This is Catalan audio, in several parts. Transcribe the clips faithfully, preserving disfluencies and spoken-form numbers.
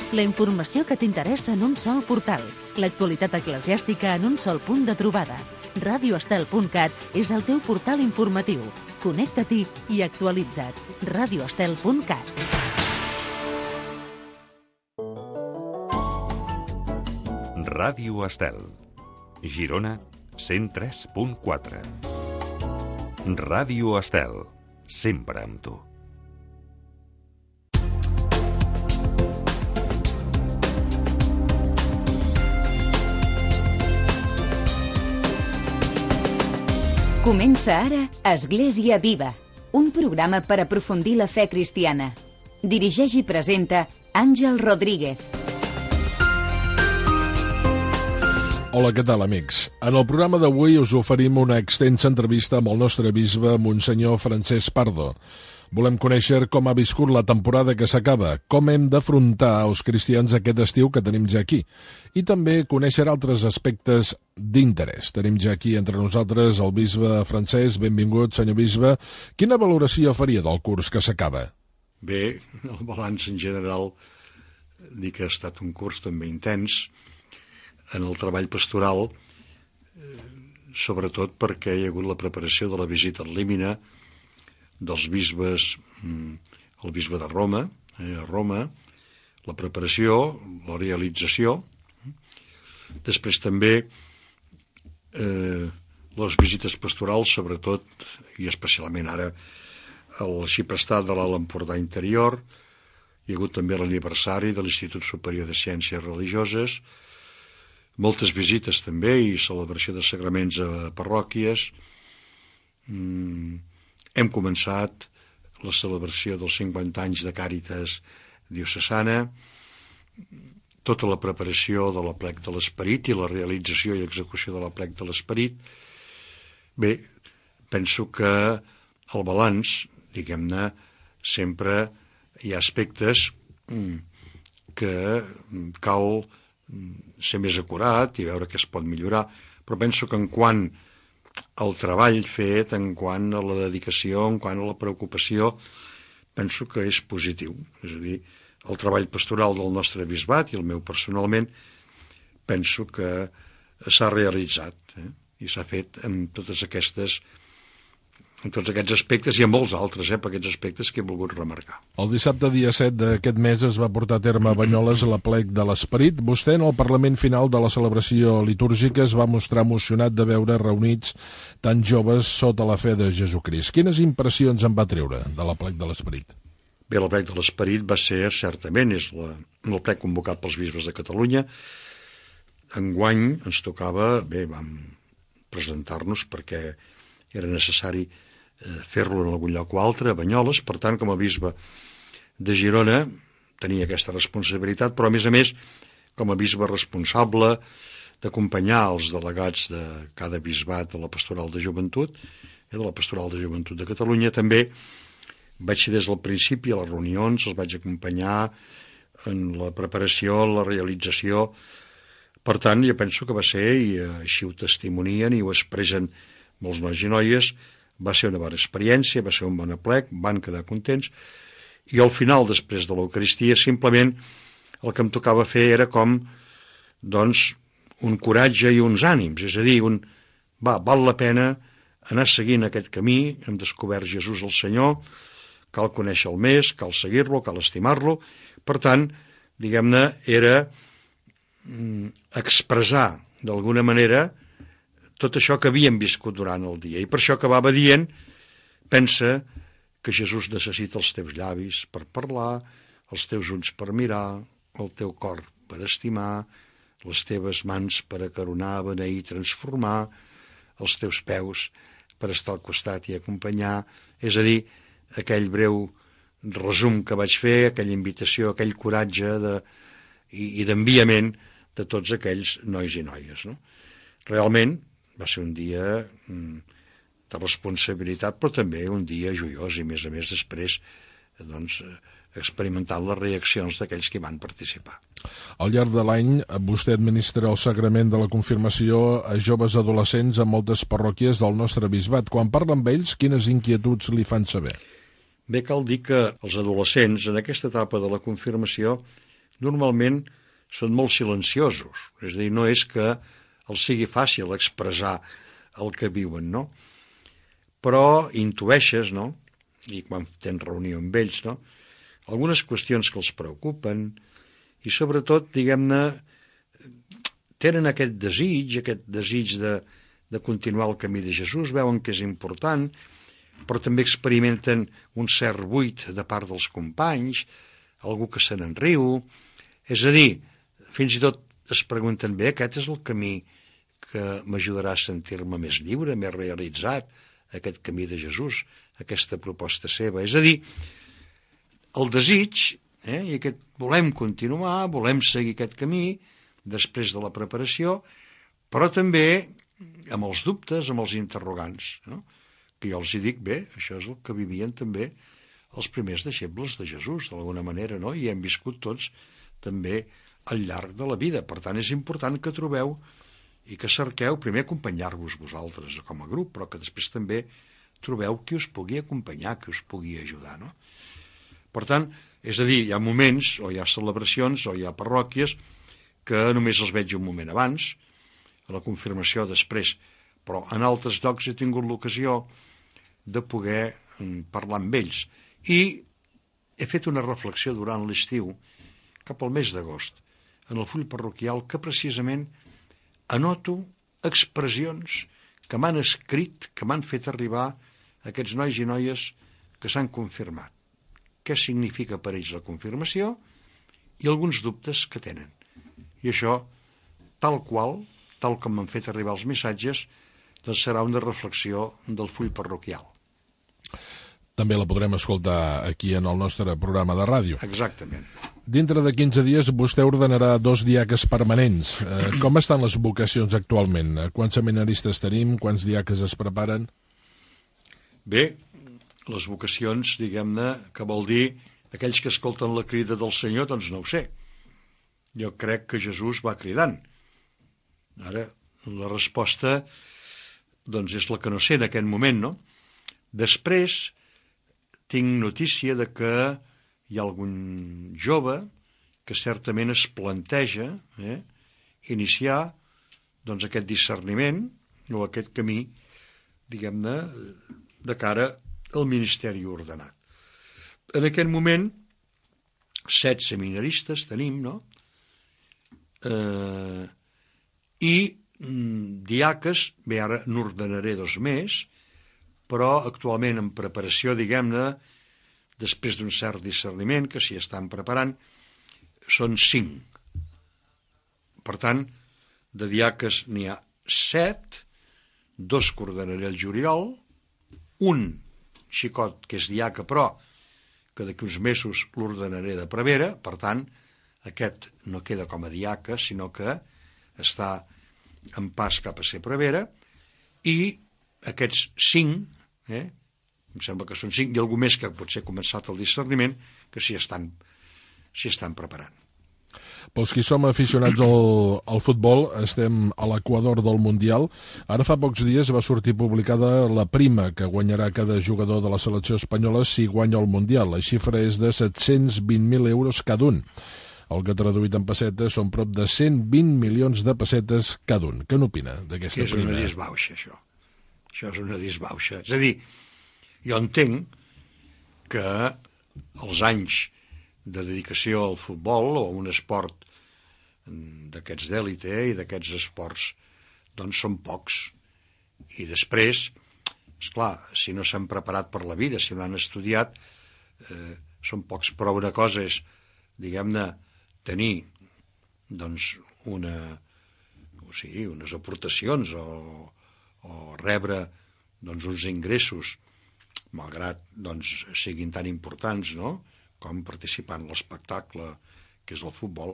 La informació que t'interessa en un sol portal. L'actualitat eclesiàstica en un sol punt de trobada. radio estel punt cat és el teu portal informatiu. Connecta-t'hi i actualitza't. radio estel punt cat. Ràdio Estel. Girona, cent tres punt quatre. Ràdio Estel. Sempre amb tu. Comença ara Església Viva, un programa per aprofundir la fe cristiana. Dirigeix i presenta Àngel Rodríguez. Hola, què tal, amics? En el programa d'avui us oferim una extensa entrevista amb el nostre bisbe, Monsenyor Francesc Pardo. Volem conèixer com ha viscut la temporada que s'acaba, com hem d'afrontar els cristians aquest estiu que tenim ja aquí, i també conèixer altres aspectes d'interès. Tenim ja aquí entre nosaltres el bisbe Francesc. Benvingut, senyor bisbe. Quina valoració faria del curs que s'acaba? Bé, el balanç en general, dic que ha estat un curs també intens en el treball pastoral, sobretot perquè hi ha hagut la preparació de la visita al Límina dels bisbes, el bisbe de Roma, eh, a Roma, la preparació, la realització, després també eh, les visites pastorals, sobretot i especialment ara el arxiprestat de l'Alt Empordà Interior, hi ha hagut també l'aniversari de l'Institut Superior de Ciències Religioses, moltes visites també i celebració de sagraments a parròquies. Mm, hem començat la celebració dels cinquanta anys de Càritas diocesana, tota la preparació de l'Aplec de l'Esperit i la realització i execució de l'Aplec de l'Esperit. Bé, penso que el balanç, diguem-ne, sempre hi ha aspectes que cal ser més acurat i veure què es pot millorar, però penso que en quant al treball fet, en quant a la dedicació, en quant a la preocupació, penso que és positiu. És a dir, el treball pastoral del nostre bisbat i el meu personalment penso que s'ha realitzat, eh? I s'ha fet amb totes aquestes en tots aquests aspectes i en molts altres, eh, per aquests aspectes que he volgut remarcar. El dissabte, dia set d'aquest mes, es va portar a terme a Banyoles l'Aplec de l'Esperit. Vostè, en el Parlament final de la celebració litúrgica, es va mostrar emocionat de veure reunits tan joves sota la fe de Jesucrist. Quines impressions en va treure de l'Aplec de l'Esperit? Bé, l'Aplec de l'Esperit va ser, certament, és l'Aplec convocat pels bisbes de Catalunya. Enguany ens tocava, bé, vam presentar-nos perquè era necessari fer-lo en algun lloc o altre, a Banyoles. Per tant, com a bisbe de Girona tenia aquesta responsabilitat, però a més a més com a bisbe responsable d'acompanyar els delegats de cada bisbat de la pastoral de joventut, eh, de la pastoral de joventut de Catalunya, també vaig ser des del principi a les reunions, els vaig acompanyar en la preparació, en la realització. Per tant, jo penso que va ser, i així ho testimonien i ho expressen molts nois i noies, va ser una bona experiència, va ser un bon aplec, van quedar contents, i al final, després de l'Eucaristia, simplement el que em tocava fer era com, doncs, un coratge i uns ànims, és a dir, un, va, val la pena anar seguint aquest camí, hem descobert Jesús el Senyor, cal conèixer-lo més, cal seguir-lo, cal estimar-lo. Per tant, diguem-ne, era mm, expressar, d'alguna manera, tot això que havíem viscut durant el dia. I per això acabava dient, pensa que Jesús necessita els teus llavis per parlar, els teus ulls per mirar, el teu cor per estimar, les teves mans per acaronar, beneir, transformar, els teus peus per estar al costat i acompanyar. És a dir, aquell breu resum que vaig fer, aquella invitació, aquell coratge de, i, i d'enviament de tots aquells nois i noies. No? Realment, va ser un dia de responsabilitat, però també un dia joiós i, a més a més, després doncs, experimentant les reaccions d'aquells que hi van participar. Al llarg de l'any, vostè administra el sagrament de la confirmació a joves adolescents a moltes parròquies del nostre bisbat. Quan parla amb ells, quines inquietuds li fan saber? Bé, cal dir que els adolescents, en aquesta etapa de la confirmació, normalment són molt silenciosos. És a dir, no és que els sigui fàcil expressar el que viuen, no? Però intueixes, no? I quan tens reunió amb ells, no? Algunes qüestions que els preocupen i sobretot, diguem-ne, tenen aquest desig, aquest desig de, de continuar el camí de Jesús, veuen que és important, però també experimenten un cert buit de part dels companys, algú que se n'enriu. És a dir, fins i tot es pregunten, bé, aquest és el camí que m'ajudarà a sentir-me més lliure, més realitzat, aquest camí de Jesús, aquesta proposta seva. És a dir, el desig, eh, i aquest volem continuar, volem seguir aquest camí, després de la preparació, però també amb els dubtes, amb els interrogants, no? Que jo els hi dic, bé, això és el que vivien també els primers deixebles de Jesús, d'alguna manera, no? I hem viscut tots també al llarg de la vida. Per tant, és important que trobeu i que cerqueu primer acompanyar-vos vosaltres com a grup, però que després també trobeu qui us pugui acompanyar, qui us pugui ajudar, no? Per tant, és a dir, hi ha moments, o hi ha celebracions, o hi ha parròquies, que només els veig un moment abans, a la confirmació després, però en altres llocs he tingut l'ocasió de poder parlar amb ells. I he fet una reflexió durant l'estiu, cap al mes d'agost, en el full parroquial, que precisament anoto expressions que m'han escrit, que m'han fet arribar aquests nois i noies que s'han confirmat. Què significa per ells la confirmació i alguns dubtes que tenen. I això, tal qual, tal com m'han fet arribar els missatges, doncs serà una reflexió del full parroquial. També la podrem escoltar aquí en el nostre programa de ràdio. Exactament. Dintre de quinze dies vostè ordenarà dos diaques permanents. Eh, com estan les vocacions actualment? Quants seminaristes tenim? Quants diaques es preparen? Bé, les vocacions, diguem-ne, que vol dir aquells que escolten la crida del Senyor, doncs no ho sé. Jo crec que Jesús va cridant. Ara, la resposta doncs és la que no sé en aquest moment, no? Després tinc notícia de que hi ha algun jove que certament es planteja eh, iniciar doncs, aquest discerniment o aquest camí, diguem-ne, de cara al ministeri ordenat. En aquest moment, set seminaristes tenim, no? Eh, I mm, diaques, bé, ara n'ordenaré dos més, però actualment en preparació, diguem-ne, després d'un cert discerniment, que s'hi estan preparant, són cinc. Per tant, de diaques n'hi ha set, dos que ordenaré el juliol, un xicot que és diaca, però que d'aquí uns mesos l'ordenaré de prevera, per tant, aquest no queda com a diaca, sinó que està en pas cap a ser prevera, i aquests cinc, eh, em sembla que són cinc, i algú més que potser ha començat el discerniment, que s'hi estan, s'hi estan preparant. Pels qui som aficionats al, al futbol, estem a l'equador del Mundial. Ara fa pocs dies va sortir publicada la prima que guanyarà cada jugador de la selecció espanyola si guanya el Mundial. La xifra és de set-cents vint mil euros cada un. El que traduït en pessetes són prop de cent vint milions de pessetes cada un. Què n'opina d'aquesta prima? És una disbauxa, això. Això és una disbauxa. És a dir, jo entenc que els anys de dedicació al futbol o a un esport d'aquests d'èlite i d'aquests esports doncs són pocs. I després, esclar, si no s'han preparat per la vida, si no han estudiat, eh, són pocs. Però una cosa és, diguem-ne, tenir doncs una, o sigui, unes aportacions o, o rebre doncs, uns ingressos, malgrat doncs, siguin tan importants, no?, com participar en l'espectacle que és el futbol,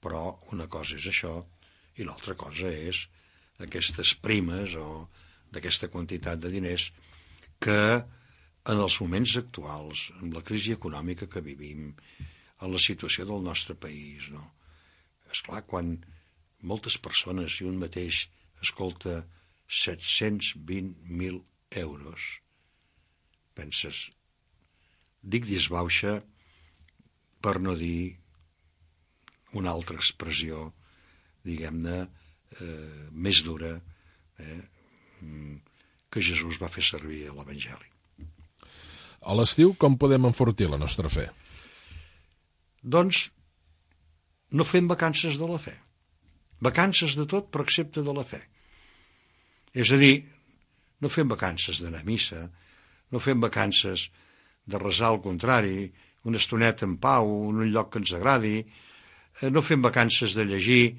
però una cosa és això i l'altra cosa és aquestes primes o d'aquesta quantitat de diners que en els moments actuals, amb la crisi econòmica que vivim, en la situació del nostre país, no? Esclar, quan moltes persones i un mateix escolta set-cents vint mil euros, penses, dic disbauxa per no dir una altra expressió, diguem-ne, eh, més dura, eh, que Jesús va fer servir a l'Evangeli. A l'estiu, com podem enfortir la nostra fe? Doncs no fem vacances de la fe. Vacances de tot, però excepte de la fe. És a dir, no fem vacances d'anar a missa, no fem vacances de resar al contrari, una estoneta en pau, en un lloc que ens agradi, no fem vacances de llegir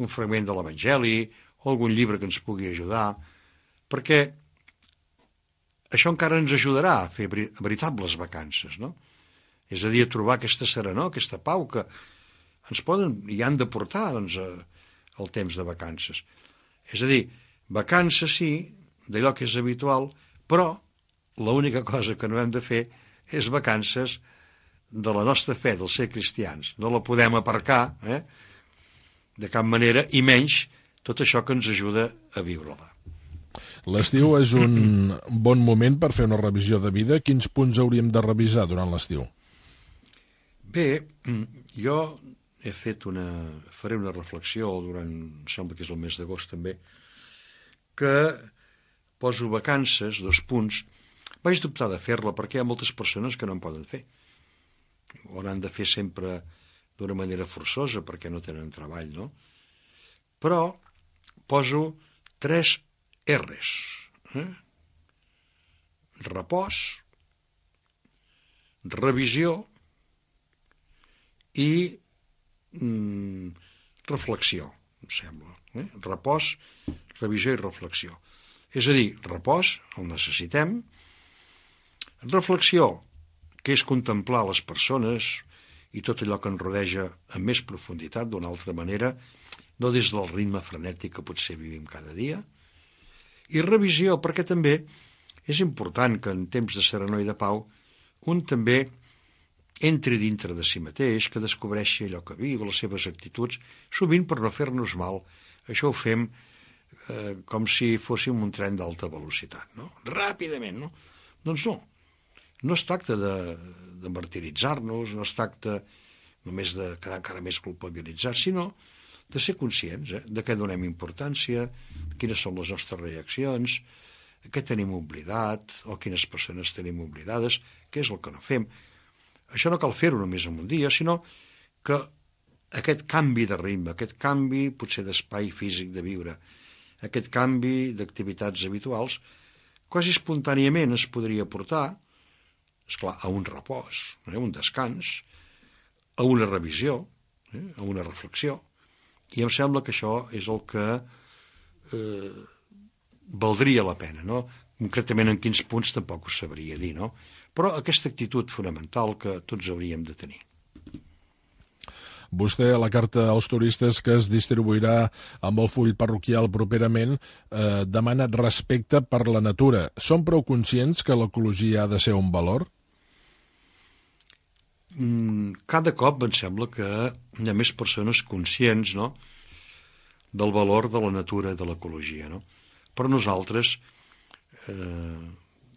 un fragment de l'Evangeli o algun llibre que ens pugui ajudar, perquè això encara ens ajudarà a fer veritables vacances, no? És a dir, a trobar aquesta serenor, aquesta pau que ens poden i han de portar, doncs, el temps de vacances. És a dir, vacances sí, d'allò que és habitual, però l'única cosa que no hem de fer és vacances de la nostra fe, del ser cristians. No la podem aparcar, eh? De cap manera, i menys tot això que ens ajuda a viure-la. L'estiu és un bon moment per fer una revisió de vida. Quins punts hauríem de revisar durant l'estiu? Bé, jo he fet una... faré una reflexió durant, em sembla que és el mes d'agost també, que poso vacances, dos punts. Vaig dubtar de fer-la perquè hi ha moltes persones que no en poden fer. Ho han de fer sempre d'una manera forçosa perquè no tenen treball, no? Però poso tres R's. Eh? Repòs, revisió i mm, reflexió, em sembla. Eh? Repòs, revisió i reflexió. És a dir, repòs, el necessitem. Reflexió, que és contemplar les persones i tot allò que ens rodeja amb més profunditat, d'una altra manera, no des del ritme frenètic que potser vivim cada dia. I revisió, perquè també és important que en temps de serenor i de pau un també entri dintre de si mateix, que descobreixi allò que viu, les seves actituds, sovint per no fer-nos mal. Això ho fem eh, com si fóssim un tren d'alta velocitat, no? Ràpidament, no? Doncs no. No es tracta de, de martiritzar-nos, no es tracta només de quedar encara més culpabilitzats, sinó de ser conscients, eh, de què donem importància, quines són les nostres reaccions, què tenim oblidat, o quines persones tenim oblidades, què és el que no fem. Això no cal fer-ho només en un dia, sinó que aquest canvi de ritme, aquest canvi potser d'espai físic de viure, aquest canvi d'activitats habituals, quasi espontàniament es podria portar, esclar, a un repòs, eh, un descans, a una revisió, eh, a una reflexió, i em sembla que això és el que eh, valdria la pena, no? Concretament en quins punts tampoc ho sabria dir, no? Però aquesta actitud fonamental que tots hauríem de tenir. Vostè, a la carta als turistes que es distribuirà amb el full parroquial properament, eh, demana respecte per la natura. Són prou conscients que l'ecologia ha de ser un valor? Cada cop em sembla que hi ha més persones conscients, no?, del valor de la natura i de l'ecologia, no? Però nosaltres, eh,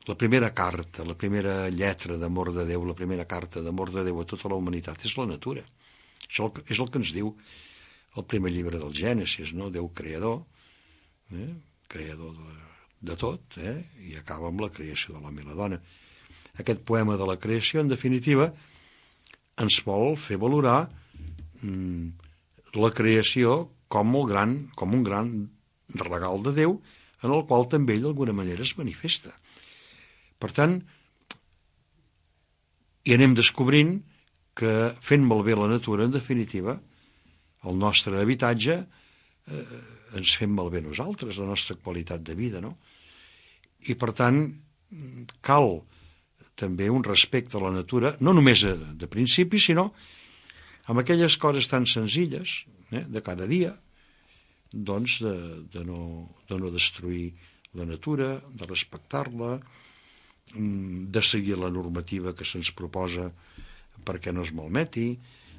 la primera carta, la primera lletra d'amor de Déu, la primera carta d'amor de Déu a tota la humanitat és la natura. Això és el que ens diu el primer llibre del Gènesis, no? Déu creador, eh? creador de, de tot, eh? I acaba amb la creació de l'home i la dona. Aquest poema de la creació, en definitiva, ens vol fer valorar mm, la creació com, el gran, com un gran regal de Déu en el qual també ell d'alguna manera es manifesta. Per tant, hi anem descobrint que fent malbé la natura, en definitiva, el nostre habitatge, eh, ens fem malbé nosaltres, la nostra qualitat de vida, no? I per tant, cal també un respecte a la natura, no només de principi, sinó amb aquelles coses tan senzilles, eh, de cada dia, doncs de, de, no, de no destruir la natura, de respectar-la, de seguir la normativa que se'ns proposa perquè no es malmeti,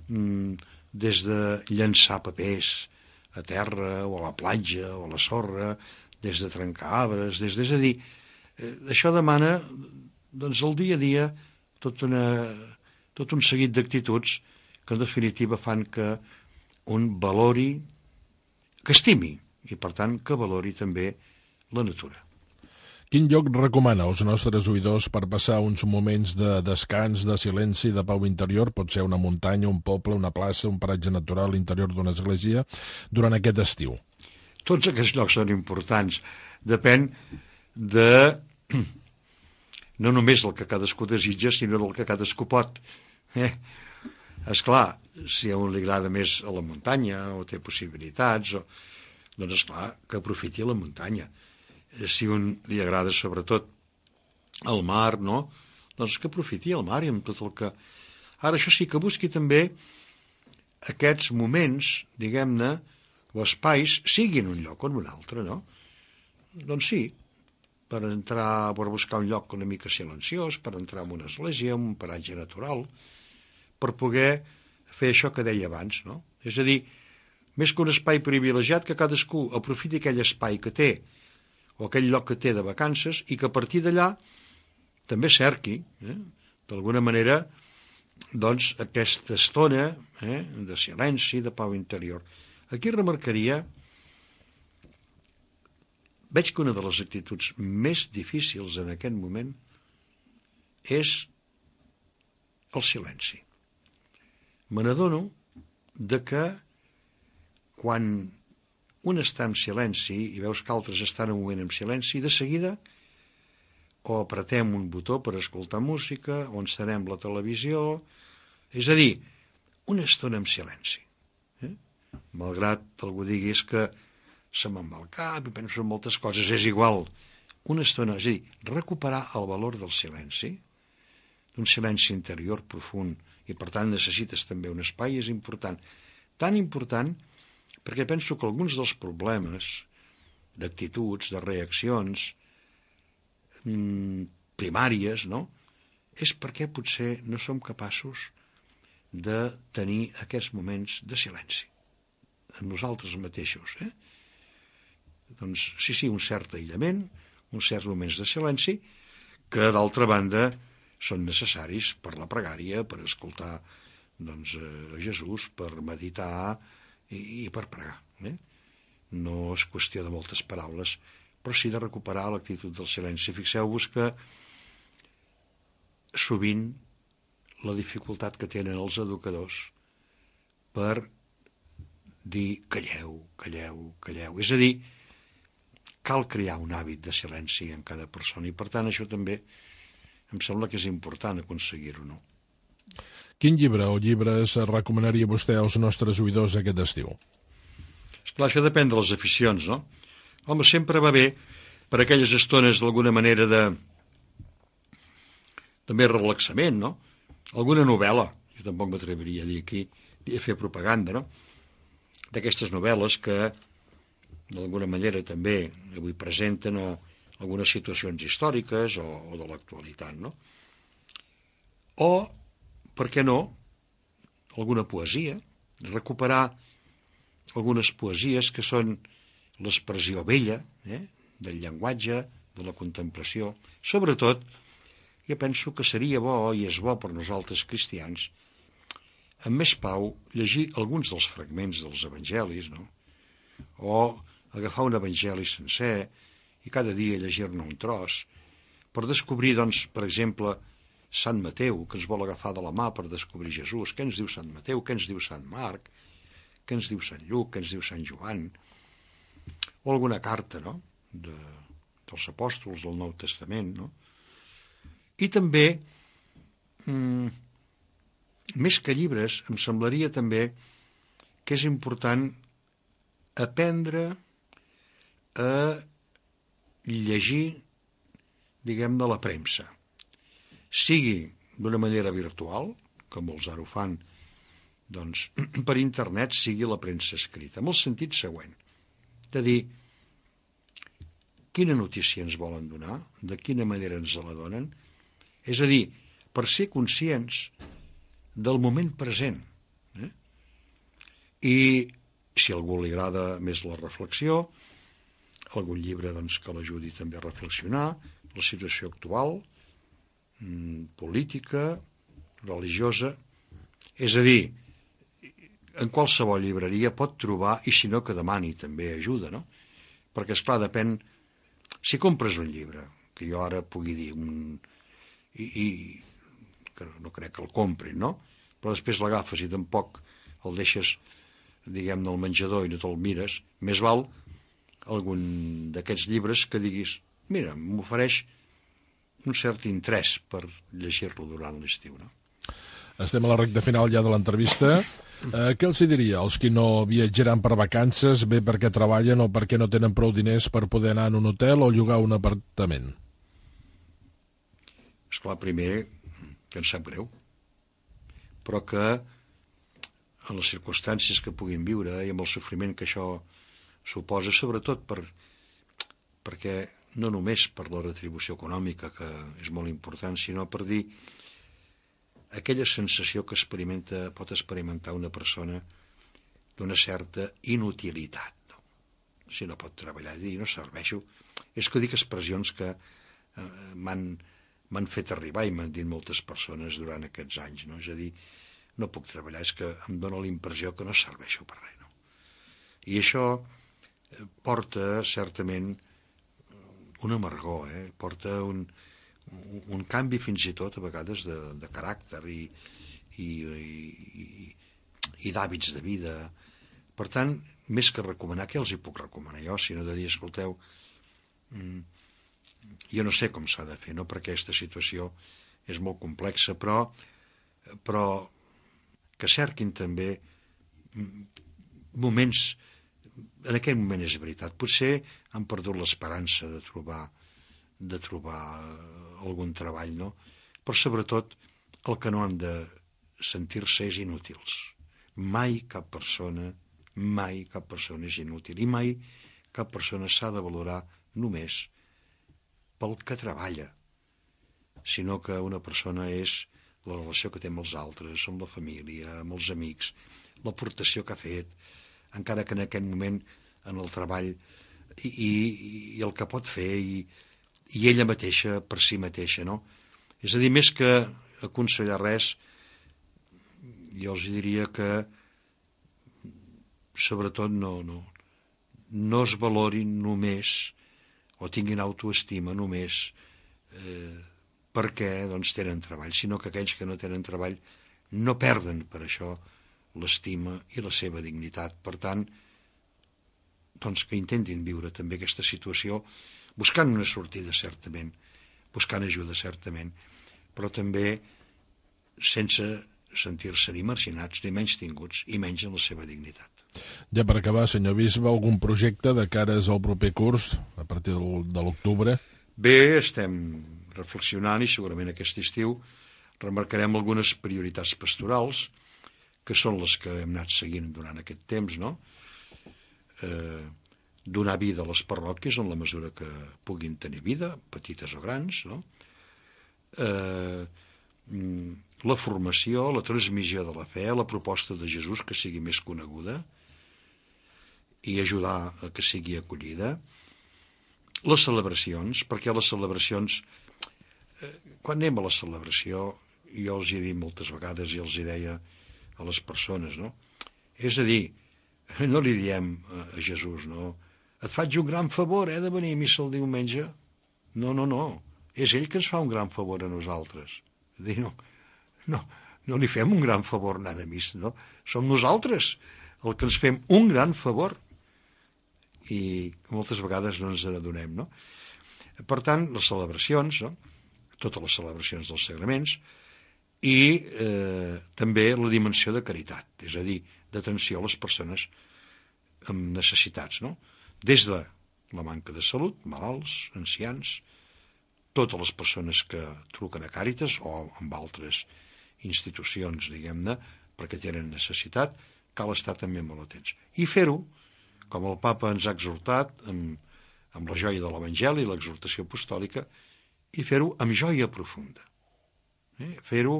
des de llançar papers a terra o a la platja o a la sorra, des de trencar arbres, des de... És a dir, això demana doncs el dia a dia tot, una, tot un seguit d'actituds que en definitiva fan que un valori, que estimi, i per tant que valori també la natura. Quin lloc recomana als nostres oïdors per passar uns moments de descans, de silenci, de pau interior? Pot ser una muntanya, un poble, una plaça, un paratge natural, l'interior d'una església, durant aquest estiu. Tots aquests llocs són importants. Depèn de no només del que cadascú desitja, sinó del que cadascú pot. Eh? Esclar, si a un li agrada més a la muntanya o té possibilitats, o... doncs esclar que aprofiti la muntanya. Si un li agrada sobretot el mar, no? Doncs que aprofiti el mar i amb tot el que... Ara, això sí, que busqui també aquests moments, diguem-ne, o espais, siguin un lloc o en un altre, no? Doncs sí, per entrar, per buscar un lloc una mica silenciós, per entrar en una església, en un paratge natural, per poder fer això que deia abans, no? És a dir, més que un espai privilegiat, que cadascú aprofiti aquell espai que té, o aquell lloc que té de vacances, i que a partir d'allà també cerqui, eh, d'alguna manera, doncs, aquesta estona eh, de silenci, de pau interior. Aquí remarcaria, veig que una de les actituds més difícils en aquest moment és el silenci. Me n'adono de que quan un està en silenci i veus que altres estan un moment en silenci, de seguida o apretem un botó per escoltar música, o encenem la televisió, és a dir, una estona en silenci. Eh? Malgrat algú digui que se me'n va el cap i penso en moltes coses, és igual. Una estona, és a dir, recuperar el valor del silenci, d'un silenci interior profund, i per tant necessites també un espai, és important. Tan important perquè penso que alguns dels problemes d'actituds, de reaccions mmm, primàries, no? És perquè potser no som capaços de tenir aquests moments de silenci en nosaltres mateixos. Eh? Doncs sí, sí, un cert aïllament, uns certs moments de silenci, que d'altra banda són necessaris per la pregària, per escoltar doncs, a Jesús, per meditar i, i per pregar. Eh? No és qüestió de moltes paraules, però sí de recuperar l'actitud del silenci. Fixeu-vos que sovint la dificultat que tenen els educadors per dir calleu, calleu, calleu. És a dir, cal crear un hàbit de silenci en cada persona i per tant això també em sembla que és important aconseguir-ho, no? Quin llibre o llibres recomanaria vostè als nostres oïdors aquest estiu? Esclar, això depèn de les aficions, no? Home, sempre va bé per aquelles estones d'alguna manera de també relaxament, no? Alguna novel·la, jo tampoc m'atreviria a dir aquí, a fer propaganda, no? D'aquestes novel·les que d'alguna manera també avui presenten o algunes situacions històriques o, o de l'actualitat, no? O, per què no, alguna poesia, recuperar algunes poesies que són l'expressió bella, eh, del llenguatge, de la contemplació. Sobretot, jo penso que seria bo, i és bo per nosaltres cristians, amb més pau, llegir alguns dels fragments dels evangelis, no? O agafar un evangeli sencer i cada dia llegir-ne un tros, per descobrir, doncs, per exemple, Sant Mateu, que ens vol agafar de la mà per descobrir Jesús. Què ens diu Sant Mateu? Què ens diu Sant Marc? Què ens diu Sant Lluc? Què ens diu Sant Joan? O alguna carta, no?, de, dels apòstols del Nou Testament, no? I també, mmm, més que llibres, em semblaria també que és important aprendre a llegir, diguem-ne, la premsa. Sigui d'una manera virtual, que molts ara ho fan, doncs per internet, sigui la premsa escrita, amb el sentit següent, de dir quina notícia ens volen donar, de quina manera ens la donen, és a dir, per ser conscients del moment present. Eh? I si a algú li agrada més la reflexió, algun llibre doncs, que l'ajudi també a reflexionar, la situació actual, política, religiosa, és a dir, en qualsevol llibreria pot trobar, i si no que demani també ajuda, no? Perquè, esclar, depèn... Si compres un llibre, que jo ara pugui dir, un... I, i que no crec que el comprin, no? Però després l'agafes i tampoc el deixes, diguem-ne, al menjador i no te'l mires, més val algun d'aquests llibres que diguis, mira, m'ofereix un cert interès per llegir-lo durant l'estiu, no? Estem a la recta final ja de l'entrevista. Eh, què els diria als qui no viatjaran per vacances, bé perquè treballen o perquè no tenen prou diners per poder anar en un hotel o llogar un apartament? Esclar, primer, que ens sap greu, però que en les circumstàncies que puguin viure i amb el sofriment que això suposa, sobretot per, perquè no només per la retribució econòmica, que és molt important, sinó per dir aquella sensació que experimenta, pot experimentar una persona d'una certa inutilitat, no? Si no pot treballar, dir, no serveixo. És que dic expressions que eh, m'han fet arribar i m'han dit moltes persones durant aquests anys, no? És a dir, no puc treballar, és que em dóna la impressió que no serveixo per res, no? I això porta, certament, un amargor, eh? Porta un, un canvi fins i tot a vegades de, de caràcter i, i, i, i d'hàbits de vida. Per tant, més que recomanar, què els hi puc recomanar jo, sinó de dir, escolteu, jo no sé com s'ha de fer, no? Perquè aquesta situació és molt complexa, però, però que cerquin també moments. En aquell moment és veritat, potser han perdut l'esperança de trobar de trobar algun treball, no? Però sobretot el que no han de sentir-se és inútils. Mai cap persona, mai cap persona és inútil, i mai cap persona s'ha de valorar només pel que treballa, sinó que una persona és la relació que té amb els altres, amb la família, amb els amics, l'aportació que ha fet, encara que en aquest moment en el treball, i, i, i el que pot fer, i, i ella mateixa per si mateixa, no? És a dir, més que aconsellar res, jo els diria que sobretot no, no, no es valorin només o tinguin autoestima només eh, perquè doncs, tenen treball, sinó que aquells que no tenen treball no perden per això l'estima i la seva dignitat. Per tant, doncs que intentin viure també aquesta situació buscant una sortida, certament, buscant ajuda, certament, però també sense sentir-se ni marginats, ni menys tinguts, i menys en la seva dignitat. Ja per acabar, senyor Bisbe, algun projecte de cares al proper curs, a partir de l'octubre? Bé, estem reflexionant i segurament aquest estiu remarcarem algunes prioritats pastorals, que són les que hem anat seguint durant aquest temps, no? Eh, donar vida a les parròquies en la mesura que puguin tenir vida, petites o grans, no? Eh, la formació, la transmissió de la fe, la proposta de Jesús que sigui més coneguda i ajudar a que sigui acollida. Les celebracions, perquè les celebracions, eh, quan anem a la celebració, jo els hi he dit moltes vegades i els hi deia a les persones, no? És a dir, no li diem a Jesús, no? Et faig un gran favor, eh, de venir a missa el diumenge? No, no, no. És ell que ens fa un gran favor a nosaltres. És a dir, no, no, no li fem un gran favor anant a missa, no? Som nosaltres el que ens fem un gran favor. I moltes vegades no ens n'adonem, no? Per tant, les celebracions, no? Totes les celebracions dels sagraments, i eh, també la dimensió de caritat, és a dir, d'atenció a les persones amb necessitats, no? Des de la manca de salut, malalts, ancians, totes les persones que truquen a Càritas o amb altres institucions, diguem-ne, perquè tenen necessitat, cal estar també molt atents. I fer-ho, com el papa ens ha exhortat, amb, amb la joia de l'Evangeli, l'exhortació apostòlica, i fer-ho amb joia profunda. Eh? Fer-ho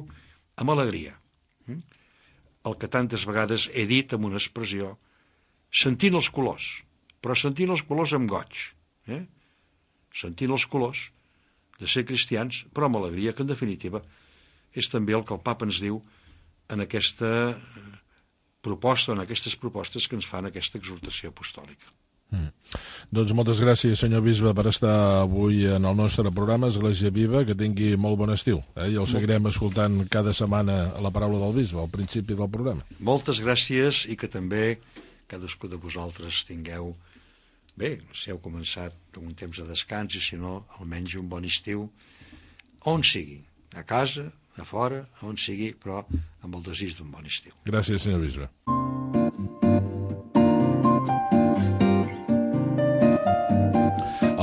amb alegria. Eh? El que tantes vegades he dit amb una expressió, sentint els colors, però sentint els colors amb goig. Eh? Sentint els colors de ser cristians, però amb alegria, que en definitiva és també el que el papa ens diu en aquesta proposta, en aquestes propostes que ens fan aquesta exhortació apostòlica. Mm. Doncs moltes gràcies, senyor bisbe, per estar avui en el nostre programa Església Viva, que tingui molt bon estiu, eh? I el seguirem escoltant cada setmana a la paraula del bisbe, al principi del programa. Moltes gràcies, i que també cadascú de vosaltres tingueu, bé, si heu començat un temps de descans, i si no, almenys un bon estiu, on sigui, a casa, a fora, on sigui, però amb el desig d'un bon estiu. Gràcies, senyor bisbe.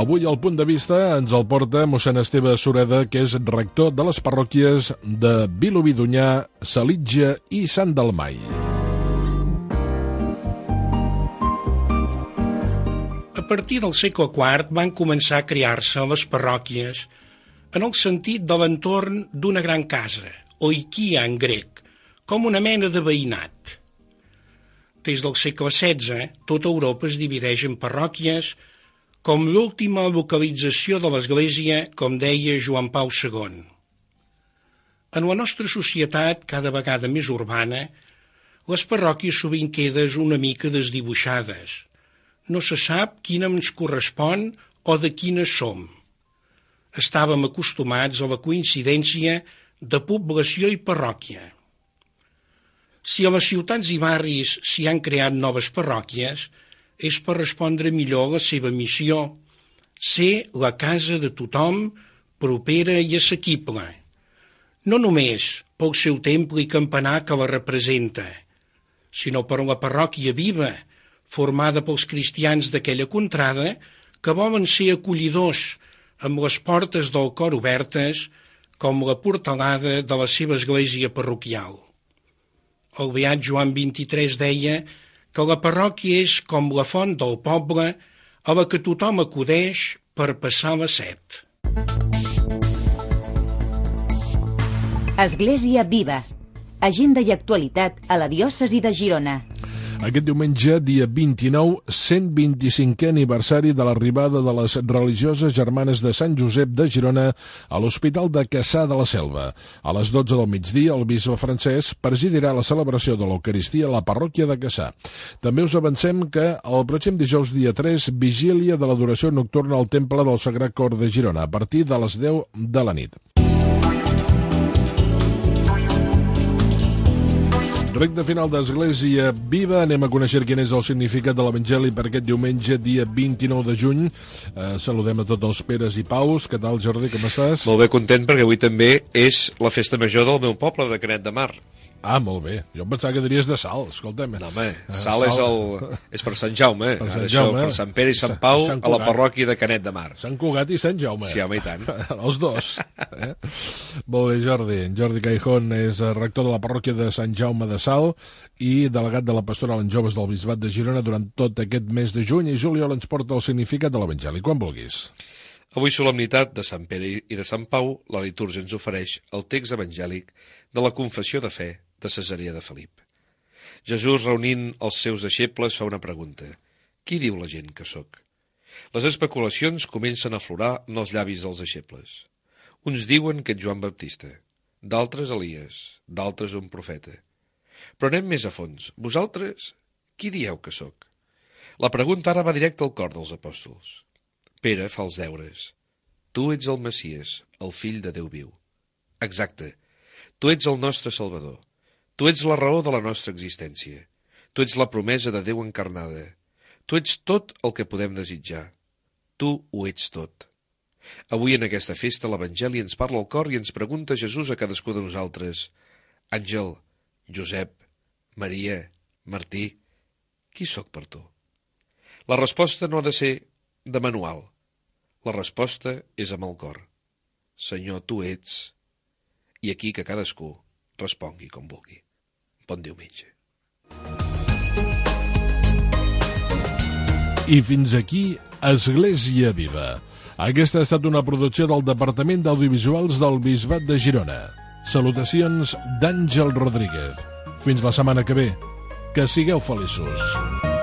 Avui el punt de vista ens el porta mossèn Esteve Sureda, que és rector de les parròquies de Vilobí d'Onyar, Salitja i Sant Dalmai. A partir del segle quart van començar a crear-se les parròquies en el sentit de l'entorn d'una gran casa, oikia en grec, com una mena de veïnat. Des del segle setze, tota Europa es divideix en parròquies com l'última localització de l'Església, com deia Joan Pau segon. En la nostra societat, cada vegada més urbana, les parròquies sovint queden una mica desdibuixades. No se sap quina ens correspon o de quines som. Estàvem acostumats a la coincidència de població i parròquia. Si a les ciutats i barris s'hi han creat noves parròquies, és per respondre millor a la seva missió, ser la casa de tothom, propera i assequible. No només pel seu temple i campanar que la representa, sinó per la parròquia viva, formada pels cristians d'aquella contrada, que volen ser acollidors amb les portes del cor obertes, com la portalada de la seva església parroquial. El beat Joan vint-i-tres deia que la parròquia és com la font del poble a la que tothom acudeix per passar la set. Església Viva. Agenda i actualitat a la diòcesi de Girona. Aquest diumenge, dia vint-i-nou, cent vint-i-cinquè aniversari de l'arribada de les religioses germanes de Sant Josep de Girona a l'Hospital de Cassà de la Selva. A les dotze del migdia, el bisbe Francesc presidirà la celebració de l'Eucaristia a la parròquia de Cassà. També us avancem que el pròxim dijous, dia tres, vigília de l'adoració nocturna al Temple del Sagrat Cor de Girona, a partir de les deu de la nit. Recte final d'Església Viva. Anem a conèixer quin és el significat de l'Evangeli per aquest diumenge, dia vint-i-nou de juny. Eh, saludem a tots els Peres i Paus. Què tal, Jordi, com estàs? Molt bé, content, perquè avui també és la festa major del meu poble, de Canet de Mar. Ah, molt bé. Jo em pensava que diries de Sal, escolta'm. No, home, Sal, Sal. És, el, és per Sant Jaume. Per Sant Ara Jaume. Això, per Sant Pere i Sant Pau, Sant a la parròquia de Canet de Mar. Sant Cugat i Sant Jaume. Sí, home, i tant. Els dos. Eh? Molt bé, Jordi. Jordi Caijón és rector de la parròquia de Sant Jaume de Sal i delegat de la pastoral en joves del Bisbat de Girona durant tot aquest mes de juny, i juliol ens porta el significat de l'Evangeli. Quan vulguis. Avui, solemnitat de Sant Pere i de Sant Pau, la litúrgia ens ofereix el text evangèlic de la confessió de fe de Cesarea de Felip. Jesús, reunint els seus deixebles, fa una pregunta. Qui diu la gent que sóc? Les especulacions comencen a aflorar en els llavis dels deixebles. Uns diuen que ets Joan Baptista, d'altres Elies, d'altres un profeta. Però anem més a fons. Vosaltres, qui dieu que sóc? La pregunta ara va directe al cor dels apòstols. Pere fa els deures. Tu ets el Messies, el fill de Déu viu. Exacte. Tu ets el nostre Salvador. Tu ets la raó de la nostra existència. Tu ets la promesa de Déu encarnada. Tu ets tot el que podem desitjar. Tu ho ets tot. Avui en aquesta festa l'Evangeli ens parla al cor i ens pregunta Jesús a cadascú de nosaltres: Àngel, Josep, Maria, Martí, qui sóc per tu? La resposta no ha de ser de manual. La resposta és amb el cor. Senyor, tu ets... I aquí que cadascú respongui com vulgui. Bon diumenge. I fins aquí Església Viva. Aquesta ha estat una producció del Departament d'Audiovisuals del Bisbat de Girona. Salutacions d'Àngel Rodríguez. Fins la setmana que ve. Que sigueu feliços.